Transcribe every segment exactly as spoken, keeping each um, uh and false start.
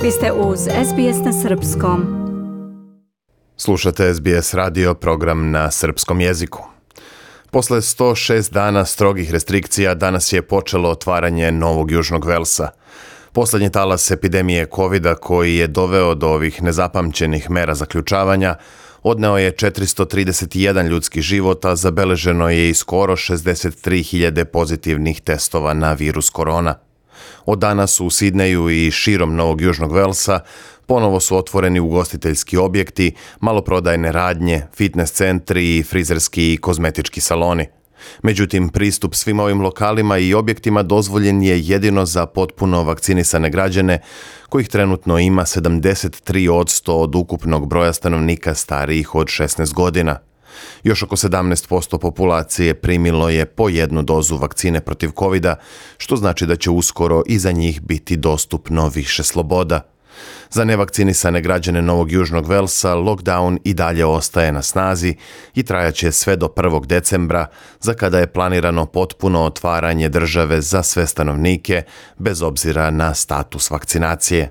Vi ste uz S B S na srpskom. Slušate S B S radio, program na srpskom jeziku. Posle sto šest dana strogih restrikcija danas je počelo otvaranje Novog Južnog Velsa. Poslednji talas epidemije kovida koji je doveo do ovih nezapamćenih mera zaključavanja odneo je četiristo trideset jedan ljudski život, a zabeleženo je i skoro šezdeset tri hiljade pozitivnih testova na virus korona. Od danas u Sidneju i širom Novog Južnog Velsa ponovo su otvoreni ugostiteljski objekti, maloprodajne radnje, fitness centri i frizerski i kozmetički saloni. Međutim, pristup svim ovim lokalima i objektima dozvoljen je jedino za potpuno vakcinisane građane, kojih trenutno ima sedamdeset tri posto od ukupnog broja stanovnika starijih od šesnaest godina. Još oko sedamnaest posto populacije primilo je po jednu dozu vakcine protiv kovida, što znači da će uskoro i za njih biti dostupno više sloboda. Za nevakcinisane građane Novog Južnog Velsa lockdown i dalje ostaje na snazi i trajaće sve do prvog decembra, za kada je planirano potpuno otvaranje države za sve stanovnike, bez obzira na status vakcinacije.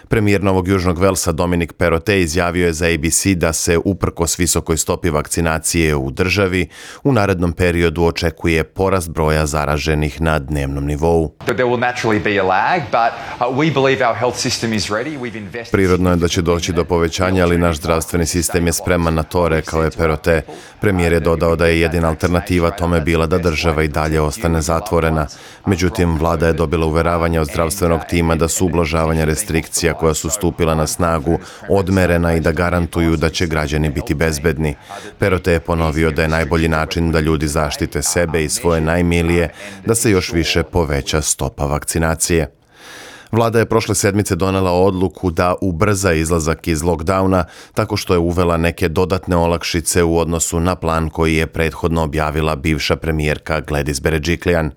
Premijer Novog Južnog Velsa Dominic Perrottet izjavio je za A B C da se uprkos visokoj stopi vakcinacije u državi u narednom periodu očekuje porast broja zaraženih na dnevnom nivou. Prirodno je da će doći do povećanja, ali naš zdravstveni sistem je spreman na to, rekao je Perrottet. Premijer je dodao da je jedina alternativa tome bila da država i dalje ostane zatvorena. Međutim, vlada je dobila uveravanja od zdravstvenog tima da su ublažavanja restrikcija koja su stupila na snagu odmerena i da garantuju da će građani biti bezbedni. Perrottet je ponovio da je najbolji način da ljudi zaštite sebe i svoje najmilije da se još više poveća stopa vakcinacije. Vlada je prošle sedmice donela odluku da ubrza izlazak iz lockdowna tako što je uvela neke dodatne olakšice u odnosu na plan koji je prethodno objavila bivša premijerka Gladys Berejiklian.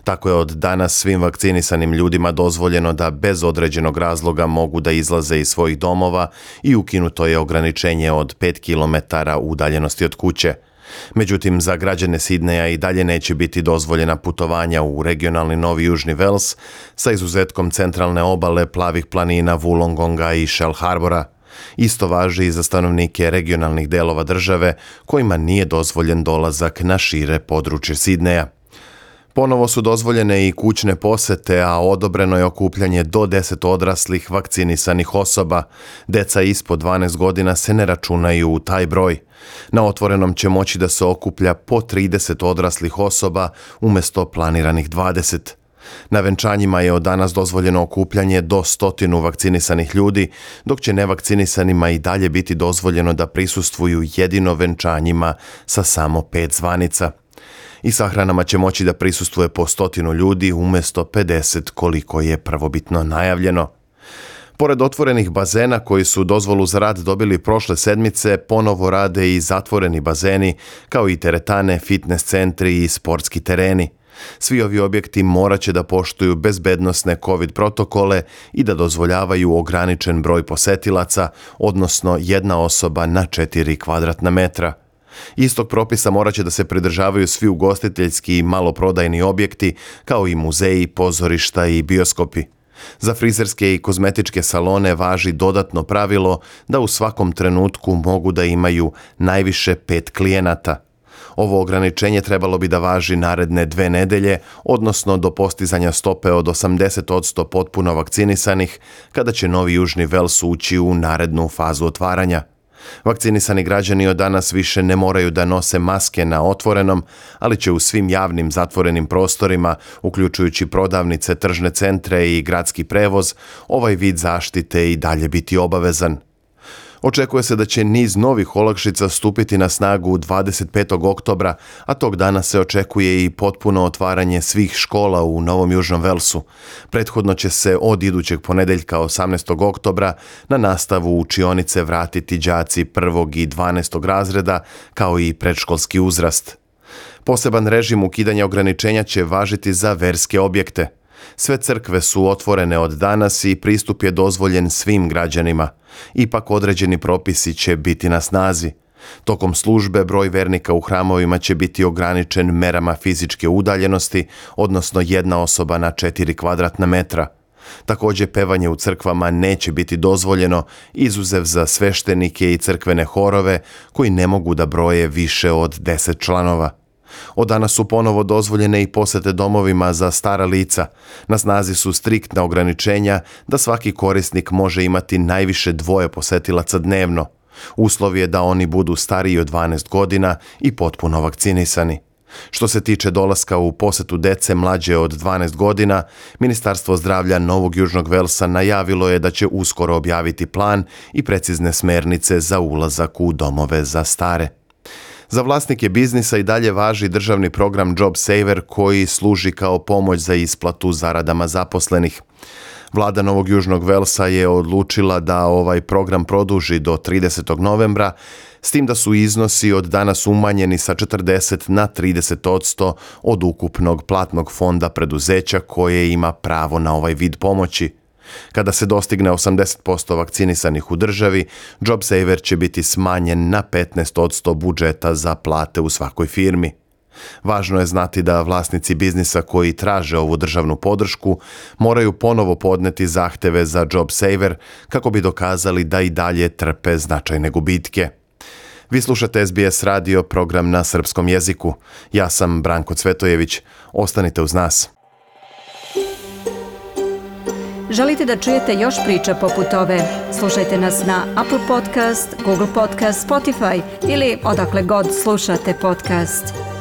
Tako je od danas svim vakcinisanim ljudima dozvoljeno da bez određenog razloga mogu da izlaze iz svojih domova i ukinuto je ograničenje od pet kilometara udaljenosti od kuće. Međutim, za građane Sidneja i dalje neće biti dozvoljena putovanja u regionalni Novi Južni Vels sa izuzetkom centralne obale, plavih planina, Wollongonga i Shell Harbora. Isto važi i za stanovnike regionalnih delova države kojima nije dozvoljen dolazak na šire područje Sidneja. Ponovo su dozvoljene i kućne posete, a odobreno je okupljanje do deset odraslih vakcinisanih osoba. Deca ispod dvanaest godina se ne računaju u taj broj. Na otvorenom će moći da se okuplja po trideset odraslih osoba umjesto planiranih dvadeset. Na venčanjima je od danas dozvoljeno okupljanje do stotinu vakcinisanih ljudi, dok će nevakcinisanima i dalje biti dozvoljeno da prisustvuju jedino venčanjima sa samo pet zvanica. I sahranama će moći da prisustvuje po stotinu ljudi umjesto pedeset koliko je prvobitno najavljeno. Pored otvorenih bazena koji su dozvolu za rad dobili prošle sedmice, ponovo rade i zatvoreni bazeni, kao i teretane, fitness centri i sportski tereni. Svi ovi objekti morat će da poštuju bezbednosne COVID protokole i da dozvoljavaju ograničen broj posetilaca, odnosno jedna osoba na četiri kvadratna metra. Istog propisa morat će da se pridržavaju svi ugostiteljski i maloprodajni objekti, kao i muzeji, pozorišta i bioskopi. Za frizerske i kozmetičke salone važi dodatno pravilo da u svakom trenutku mogu da imaju najviše pet klijenata. Ovo ograničenje trebalo bi da važi naredne dve nedelje, odnosno do postizanja stope od osamdeset posto potpuno vakcinisanih, kada će Novi Južni Vels ući u narednu fazu otvaranja. Vakcinisani građani od danas više ne moraju da nose maske na otvorenom, ali će u svim javnim zatvorenim prostorima, uključujući prodavnice, tržne centre i gradski prevoz, ovaj vid zaštite i dalje biti obavezan. Očekuje se da će niz novih olakšica stupiti na snagu dvadeset petog oktobra, a tog dana se očekuje i potpuno otvaranje svih škola u Novom Južnom Velsu. Prethodno će se od idućeg ponedeljka osamnaestog oktobra na nastavu u učionice vratiti đaci prvog i dvanaestog razreda, kao i predškolski uzrast. Poseban režim ukidanja ograničenja će važiti za verske objekte. Sve crkve su otvorene od danas i pristup je dozvoljen svim građanima. Ipak određeni propisi će biti na snazi. Tokom službe broj vernika u hramovima će biti ograničen merama fizičke udaljenosti, odnosno jedna osoba na četiri kvadratna metra. Također, pevanje u crkvama neće biti dozvoljeno, izuzev za sveštenike i crkvene horove koji ne mogu da broje više od deset članova. Od danas su ponovo dozvoljene i posete domovima za stara lica. Na snazi su striktna ograničenja da svaki korisnik može imati najviše dvoje posetilaca dnevno. Uslov je da oni budu stariji od dvanaest godina i potpuno vakcinisani. Što se tiče dolaska u posetu dece mlađe od dvanaest godina, Ministarstvo zdravlja Novog Južnog Velsa najavilo je da će uskoro objaviti plan i precizne smernice za ulazak u domove za stare. Za vlasnike biznisa i dalje važi državni program Job Saver koji služi kao pomoć za isplatu zaradama zaposlenih. Vlada Novog Južnog Velsa je odlučila da ovaj program produži do tridesetog novembra, s tim da su iznosi od danas umanjeni sa četrdeset na trideset odsto od ukupnog platnog fonda preduzeća koje ima pravo na ovaj vid pomoći. Kada se dostigne osamdeset posto vakcinisanih u državi, Job Saver će biti smanjen na petnaest odsto budžeta za plate u svakoj firmi. Važno je znati da vlasnici biznisa koji traže ovu državnu podršku moraju ponovo podneti zahteve za Job Saver kako bi dokazali da i dalje trpe značajne gubitke. Vi slušate S B S radio, program na srpskom jeziku. Ja sam Branko Cvetojević. Ostanite uz nas. Želite da čujete još priča poput ove? Slušajte nas na Apple Podcast, Google Podcast, Spotify ili odakle god slušate podcast.